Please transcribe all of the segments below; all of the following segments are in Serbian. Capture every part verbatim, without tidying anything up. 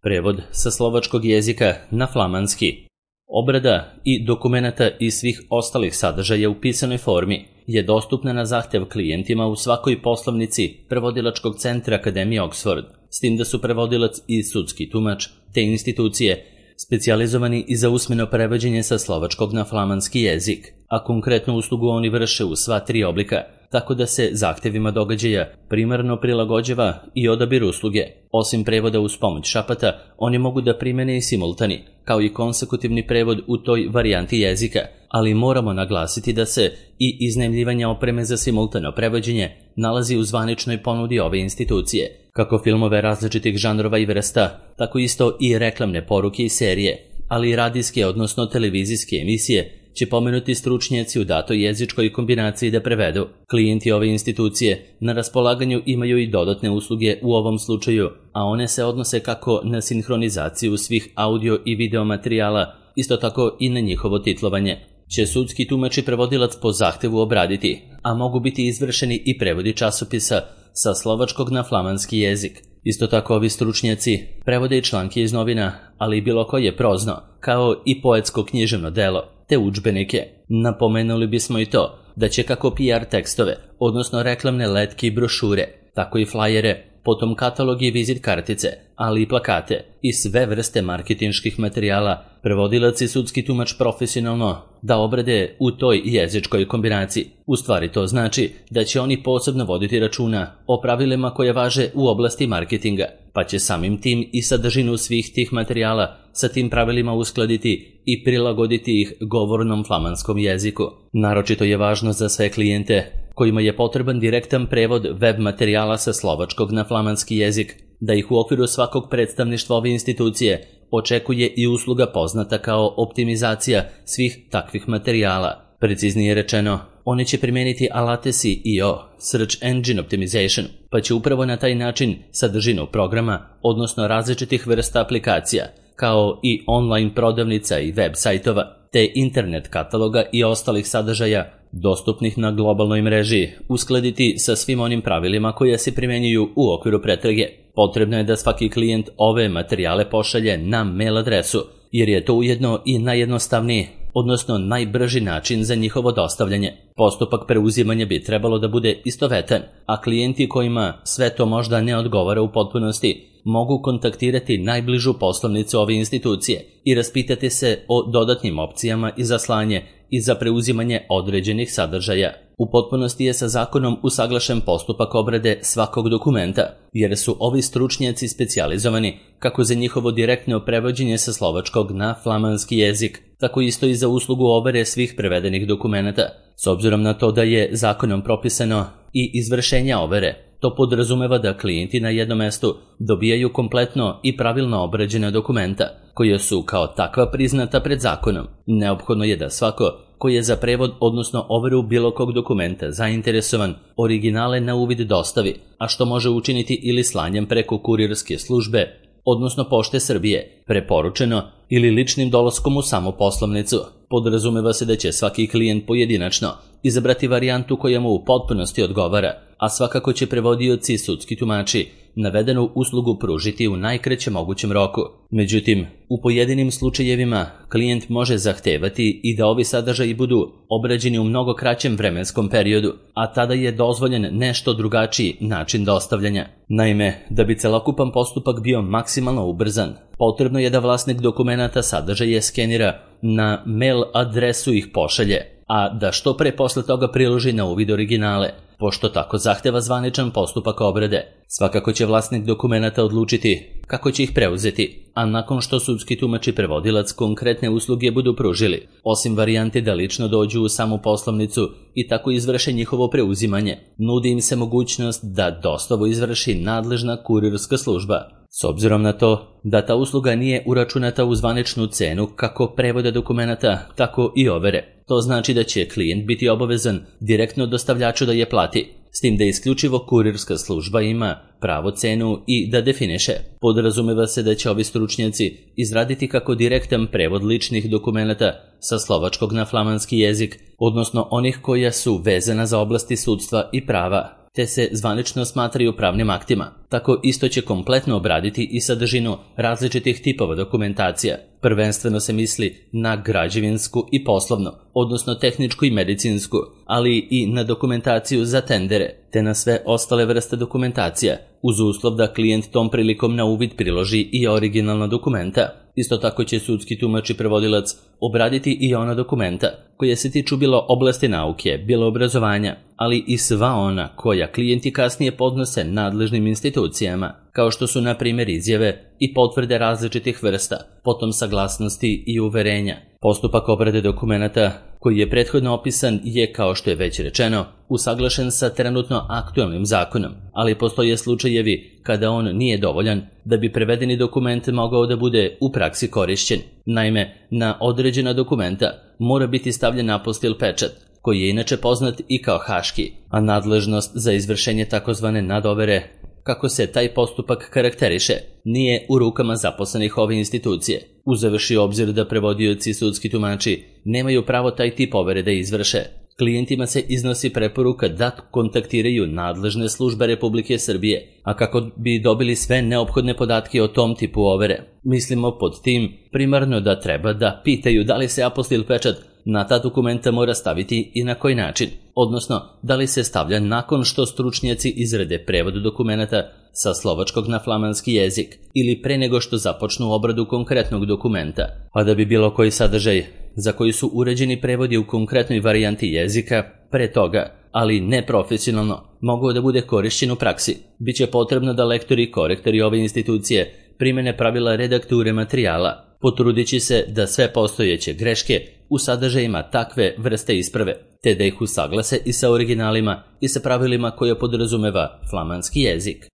prevod sa slovačkog jezika na flamanski. Obrada i dokumenata i svih ostalih sadržaja u pisanoj formi je dostupna na zahtev klijentima u svakoj poslovnici prevodilačkog centra Akademije Oxford, s tim da su prevodilac i sudski tumač te institucije specijalizovani i za usmeno prevođenje sa slovačkog na flamanski jezik, a konkretnu uslugu oni vrše u sva tri oblika, tako da se zahtevima događaja primarno prilagođava i odabir usluge. Osim prevoda uz pomoć šapata, oni mogu da primene i simultani, kao i konsekutivni prevod u toj varijanti jezika, ali moramo naglasiti da se i iznajmljivanje opreme za simultano prevođenje nalazi u zvaničnoj ponudi ove institucije, kako filmove različitih žanrova i vrsta, tako isto i reklamne poruke i serije, ali i radijske, odnosno televizijske emisije, će pomenuti stručnjaci u datoj jezičkoj kombinaciji da prevedu. Klijenti ove institucije na raspolaganju imaju i dodatne usluge u ovom slučaju, a one se odnose kako na sinhronizaciju svih audio i video materijala, isto tako i na njihovo titlovanje. Će sudski tumač i prevodilac po zahtevu obraditi, a mogu biti izvršeni i prevodi časopisa sa slovačkog na flamanski jezik. Isto tako ovi stručnjaci prevode i članke iz novina, ali i bilo koje prozno, kao i poetsko književno delo, te udžbenike. Napomenuli bismo i to da će kako P R tekstove, odnosno reklamne letke i brošure, tako i flajere, potom katalog i vizit kartice, ali i plakate i sve vrste marketinških materijala prevodilac i sudski tumač profesionalno da obrade u toj jezičkoj kombinaciji. U stvari to znači da će oni posebno voditi računa o pravilima koje važe u oblasti marketinga, pa će samim tim i sadržinu svih tih materijala sa tim pravilima uskladiti i prilagoditi ih govornom flamanskom jeziku. Naročito je važno za sve klijente kojima je potreban direktan prevod web materijala sa slovačkog na flamanski jezik, da ih u okviru svakog predstavništva ove institucije očekuje i usluga poznata kao optimizacija svih takvih materijala. Preciznije rečeno, oni će primijeniti alate S E O, Search Engine Optimization, pa će upravo na taj način sadržinu programa, odnosno različitih vrsta aplikacija, kao i online prodavnica i web sajtova, te internet kataloga i ostalih sadržaja dostupnih na globalnoj mreži, uskladiti sa svim onim pravilima koje se primjenjuju u okviru pretrage. Potrebno je da svaki klijent ove materijale pošalje na mail adresu, jer je to ujedno i najjednostavniji, odnosno najbrži način za njihovo dostavljanje. Postupak preuzimanja bi trebalo da bude istovetan, a klijenti kojima sve to možda ne odgovara u potpunosti mogu kontaktirati najbližu poslovnicu ove institucije i raspitati se o dodatnim opcijama i za slanje i za preuzimanje određenih sadržaja. U potpunosti je sa zakonom usaglašen postupak obrade svakog dokumenta, jer su ovi stručnjaci specijalizovani kako za njihovo direktno prevođenje sa slovačkog na flamanski jezik, tako isto i za uslugu overe svih prevedenih dokumenata. S obzirom na to da je zakonom propisano i izvršenja overe, to podrazumeva da klijenti na jednom mestu dobijaju kompletno i pravilno obrađena dokumenta, koje su kao takva priznata pred zakonom. Neophodno je da svako koji je za prevod, odnosno overu bilo kog dokumenta zainteresovan, originale na uvid dostavi, a što može učiniti ili slanjem preko kurirske službe, odnosno Pošte Srbije, preporučeno ili ličnim dolaskom u samu poslovnicu. Podrazumeva se da će svaki klijent pojedinačno izabrati varijantu koja mu u potpunosti odgovara, a svakako će prevodioci i sudski tumači navedenu uslugu pružiti u najkraćem mogućem roku. Međutim, u pojedinim slučajevima klijent može zahtevati i da ovi sadržaji budu obrađeni u mnogo kraćem vremenskom periodu, a tada je dozvoljen nešto drugačiji način dostavljanja. Naime, da bi celokupan postupak bio maksimalno ubrzan, potrebno je da vlasnik dokumenata sadržaje skenira na mail adresu ih pošalje, a da što pre posle toga priloži na uvid originale, pošto tako zahteva zvaničan postupak obrade. Svakako će vlasnik dokumenata odlučiti kako će ih preuzeti, a nakon što sudski tumač i prevodilac konkretne usluge budu pružili, osim varijante da lično dođu u samu poslovnicu i tako izvrše njihovo preuzimanje, nudi im se mogućnost da dostavu izvrši nadležna kurirska služba. S obzirom na to da ta usluga nije uračunata u zvaničnu cenu kako prevoda dokumenata, tako i overe, to znači da će klijent biti obavezan direktno dostavljaču da je plati, s tim da isključivo kurirska služba ima pravo cenu i da definiše. Podrazumeva se da će ovi stručnjaci izraditi kako direktan prevod ličnih dokumenata sa slovačkog na flamanski jezik, odnosno onih koja su vezana za oblasti sudstva i prava, te se zvanično smatraju pravnim aktima. Tako isto će kompletno obraditi i sadržinu različitih tipova dokumentacija. Prvenstveno se misli na građevinsku i poslovnu, odnosno tehničku i medicinsku, ali i na dokumentaciju za tendere, te na sve ostale vrste dokumentacija, uz uslov da klijent tom prilikom na uvid priloži i originalna dokumenta. Isto tako će sudski tumač i prevodilac obraditi i ona dokumenta koje se tiču bilo oblasti nauke, bilo obrazovanja, ali i sva ona koja klijenti kasnije podnose nadležnim institucijama, kao što su na primjer izjave i potvrde različitih vrsta, potom saglasnosti i uverenja. Postupak obrade dokumenata koji je prethodno opisan je, kao što je već rečeno, usaglašen sa trenutno aktualnim zakonom, ali postoje slučajevi kada on nije dovoljan da bi prevedeni dokument mogao da bude u praksi korišćen. Naime, na određena dokumenta mora biti stavljen apostil pečat, koji je inače poznat i kao haški, a nadležnost za izvršenje takozvane nadovere, kako se taj postupak karakteriše, nije u rukama zaposlenih ove institucije. Uzevši obzir da prevodioci i sudski tumači nemaju pravo taj tip overe da izvrše, klijentima se iznosi preporuka da kontaktiraju nadležne službe Republike Srbije, a kako bi dobili sve neophodne podatke o tom tipu overe. Mislimo pod tim primarno da treba da pitaju da li se apostil pečat na ta dokumenta mora staviti i na koji način, odnosno da li se stavlja nakon što stručnjaci izrade prevod dokumenta sa slovačkog na flamanski jezik ili pre nego što započnu obradu konkretnog dokumenta, a da bi bilo koji sadržaj za koji su uređeni prevodi u konkretnoj varijanti jezika pre toga, ali ne profesionalno, mogao da bude korišćen u praksi. Biće potrebno da lektori i korektori ove institucije primene pravila redakture materijala, potrudići se da sve postojeće greške u sadržajima takve vrste isprave, te da ih usaglase i sa originalima i sa pravilima koje podrazumeva flamanski jezik.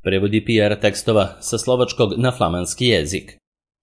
Prevodi P R tekstova sa slovačkog na flamanski jezik.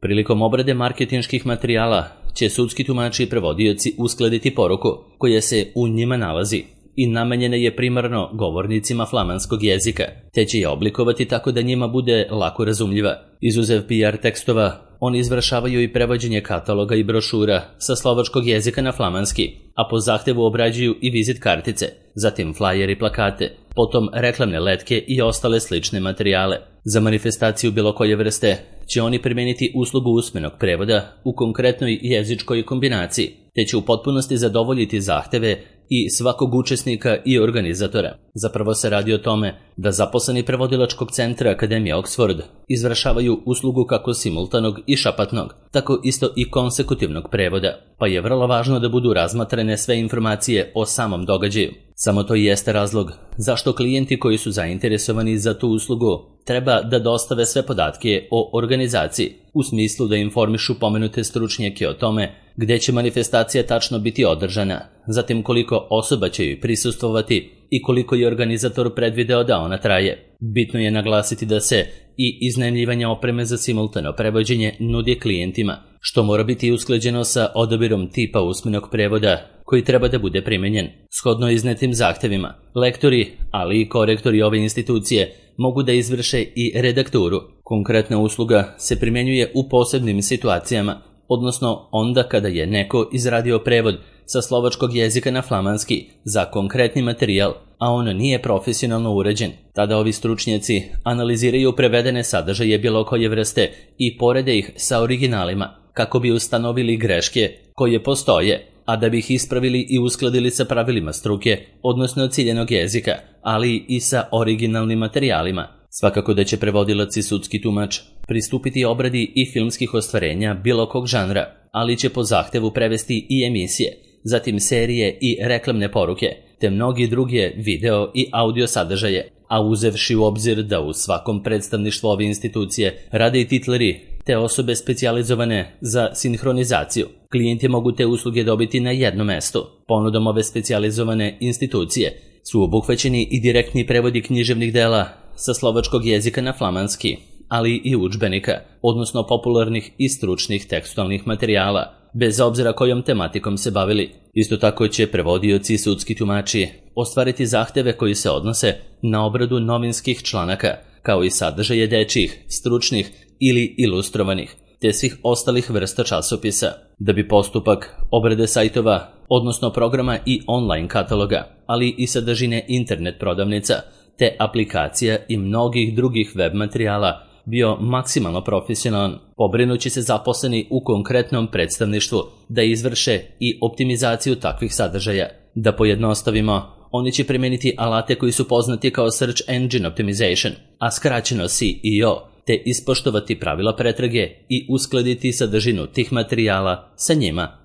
Prilikom obrade marketinških materijala će sudski tumači i prevodioci uskladiti poruku koja se u njima nalazi i namenjena je primarno govornicima flamanskog jezika, te će je oblikovati tako da njima bude lako razumljiva. Izuzev P R tekstova, oni izvršavaju i prevođenje kataloga i brošura sa slovačkog jezika na flamanski, a po zahtevu obrađuju i vizit kartice, zatim flajer i plakate, potom reklamne letke i ostale slične materijale. Za manifestaciju bilo koje vrste će oni primeniti uslugu usmenog prevoda u konkretnoj jezičkoj kombinaciji, te će u potpunosti zadovoljiti zahteve i svakog učesnika i organizatora. Zapravo se radi o tome da zaposleni prevodilačkog centra Akademije Oxford izvršavaju uslugu kako simultanog i šapatnog, tako isto i konsekutivnog prevoda, pa je vrlo važno da budu razmatrane sve informacije o samom događaju. Samo to i jeste razlog zašto klijenti koji su zainteresovani za tu uslugu treba da dostave sve podatke o organizaciji, u smislu da informišu pomenute stručnjake o tome gde će manifestacija tačno biti održana, zatim koliko osoba će joj prisustvovati i koliko je organizator predvideo da ona traje. Bitno je naglasiti da se i iznajmljivanje opreme za simultano prevođenje nudi klijentima, što mora biti usklađeno sa odabirom tipa usmenog prevoda koji treba da bude primenjen. Shodno iznetim zahtevima, lektori, ali i korektori ove institucije mogu da izvrše i redakturu. Konkretna usluga se primjenjuje u posebnim situacijama, odnosno onda kada je neko izradio prevod sa slovačkog jezika na flamanski za konkretni materijal, a on nije profesionalno uređen. Tada ovi stručnjaci analiziraju prevedene sadržaje bilo koje vrste i porede ih sa originalima, kako bi ustanovili greške koje postoje, a da bi ih ispravili i uskladili sa pravilima struke, odnosno ciljenog jezika, ali i sa originalnim materijalima. Svakako da će prevodilac i sudski tumač pristupiti obradi i filmskih ostvarenja bilo kog žanra, ali će po zahtevu prevesti i emisije, zatim serije i reklamne poruke, te mnogi druge video i audio sadržaje, a uzevši u obzir da u svakom predstavništvu ove institucije rade i titleri, te osobe specijalizovane za sinhronizaciju. Klijenti mogu te usluge dobiti na jednom mestu. Ponudom ove specijalizovane institucije su obuhvaćeni i direktni prevodi književnih dela sa slovačkog jezika na flamanski, ali i udžbenika, odnosno popularnih i stručnih tekstualnih materijala, bez obzira kojom tematikom se bavili. Isto tako će prevodioci i sudski tumači ostvariti zahteve koji se odnose na obradu novinskih članaka, kao i sadržaje dečjih, stručnih ili ilustrovanih, te svih ostalih vrsta časopisa. Da bi postupak obrade sajtova odnosno programa i online kataloga, ali i sadržine internet prodavnica, te aplikacija i mnogih drugih web materijala, bio maksimalno profesionalan, pobrinući se zaposleni u konkretnom predstavništvu da izvrše i optimizaciju takvih sadržaja. Da pojednostavimo, oni će primeniti alate koji su poznati kao Search Engine Optimization, a skraćeno S E O, te ispoštovati pravila pretrage i uskladiti sadržinu tih materijala sa njima.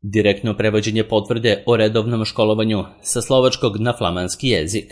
Direktno prevođenje potvrde o redovnom školovanju sa slovačkog na flamanski jezik.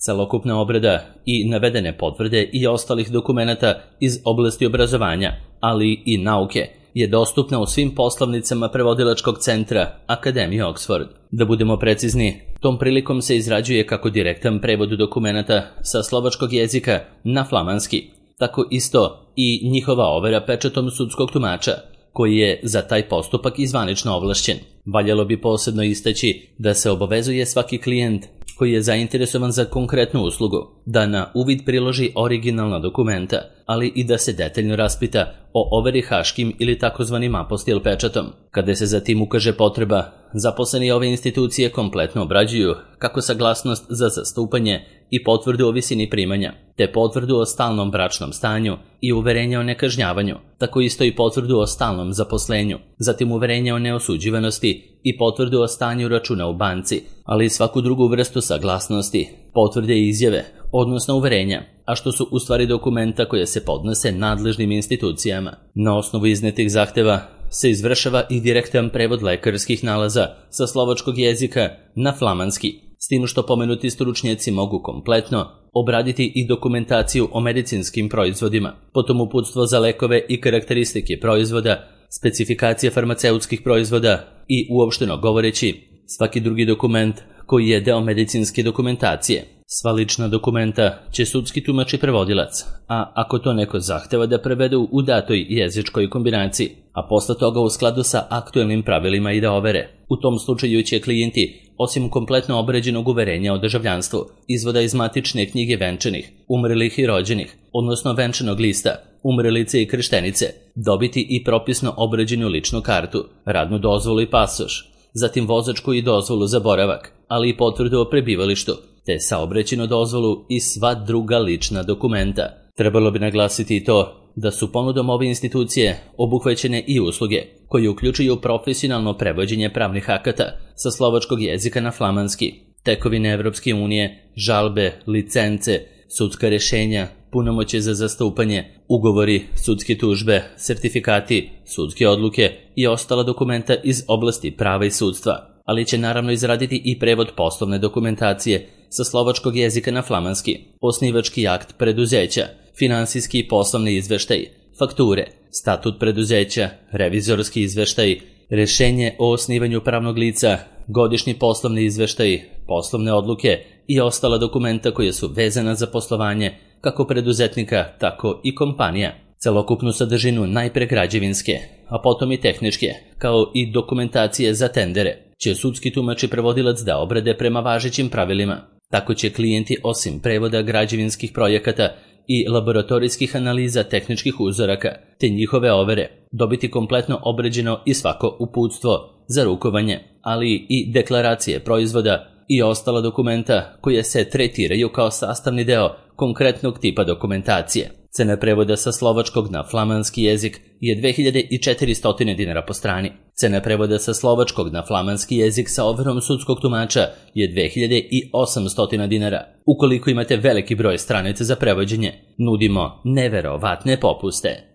Celokupna obrada i navedene potvrde i ostalih dokumenata iz oblasti obrazovanja, ali i nauke, je dostupna u svim poslovnicama prevodilačkog centra Akademije Oxford. Da budemo precizni, tom prilikom se izrađuje kako direktan prevod dokumenata sa slovačkog jezika na flamanski, tako isto i njihova overa pečatom sudskog tumača, koji je za taj postupak izvanično ovlašćen. Valjalo bi posebno istaći da se obavezuje svaki klijent koji je zainteresovan za konkretnu uslugu da na uvid priloži originalna dokumenta, ali i da se detaljno raspita o overi haškim ili takozvanim apostil pečatom. Kada se zatim ukaže potreba, zaposleni ove institucije kompletno obrađuju kako saglasnost za zastupanje i potvrdu o visini primanja, te potvrdu o stalnom bračnom stanju i uverenje o nekažnjavanju, tako isto i potvrdu o stalnom zaposlenju, zatim uverenje o neosuđivanosti i potvrdu o stanju računa u banci, ali i svaku drugu vrstu saglasnosti, potvrde i izjave, odnosno uverenja, a što su u stvari dokumenta koje se podnose nadležnim institucijama. Na osnovu iznetih zahteva se izvršava i direktan prevod lekarskih nalaza sa slovačkog jezika na flamanski, s tim što pomenuti stručnjaci mogu kompletno obraditi i dokumentaciju o medicinskim proizvodima, potom uputstvo za lekove i karakteristike proizvoda, specifikacije farmaceutskih proizvoda i, uopšteno govoreći, svaki drugi dokument koji je deo medicinske dokumentacije. Sva lična dokumenta će sudski tumač i prevodilac, a ako to neko zahteva da prevedu u datoj jezičkoj kombinaciji, a posle toga u skladu sa aktuelnim pravilima i da overe. U tom slučaju će klijenti, osim kompletno obrađenog uverenja o državljanstvu, izvoda iz matične knjige venčanih, umrlih i rođenih, odnosno venčanog lista, umrlice i krštenice, dobiti i propisno obrađenu ličnu kartu, radnu dozvolu i pasoš, zatim vozačku i dozvolu za boravak, ali i potvrdu o prebivalištu, te saobraćajnu dozvolu i sva druga lična dokumenta. Trebalo bi naglasiti i to da su ponudom ove institucije obuhvaćene i usluge koje uključuju profesionalno prevođenje pravnih akata sa slovačkog jezika na flamanski, tekovine Evropske unije, žalbe, licence, sudska rešenja, punomoćje za zastupanje, ugovori, sudske tužbe, sertifikati, sudske odluke i ostala dokumenta iz oblasti prava i sudstva, ali će naravno izraditi i prevod poslovne dokumentacije sa slovačkog jezika na flamanski, osnivački akt preduzeća, finansijski i poslovni izveštaj, fakture, statut preduzeća, revizorski izveštaj, rešenje o osnivanju pravnog lica, godišnji poslovni izveštaj, poslovne odluke i ostala dokumenta koja su vezana za poslovanje kako preduzetnika, tako i kompanija. Celokupnu sadržinu najpre građevinske, a potom i tehničke, kao i dokumentacije za tendere, će sudski tumač i prevodilac da obrade prema važećim pravilima. Tako će klijenti osim prevoda građevinskih projekata i laboratorijskih analiza tehničkih uzoraka, te njihove overe, dobiti kompletno obrađeno i svako uputstvo za rukovanje, ali i deklaracije proizvoda i ostala dokumenta koje se tretiraju kao sastavni deo konkretnog tipa dokumentacije. Cena prevoda sa slovačkog na flamanski jezik je dve hiljade četiristo dinara po strani. Cena prevoda sa slovačkog na flamanski jezik sa overom sudskog tumača je dve hiljade osamsto dinara. Ukoliko imate veliki broj stranica za prevođenje, nudimo neverovatne popuste.